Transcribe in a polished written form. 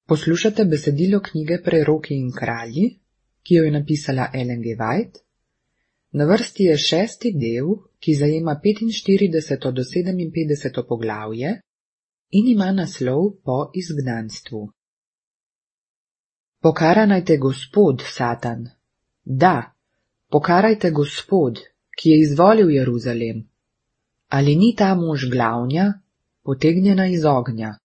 Poslušate besedilo knjige Preroki in kralji, ki jo je napisala Ellen G. White. Na vrsti je 6. del, ki zajema 45. do 57. poglavje in ima naslov Po izgnanstvu. Pokarajte Gospod, Satan. Da, pokarajte Gospod, ki je izvolil Jeruzalem. Ali ni ta mož glavnja, potegnjena iz ognja?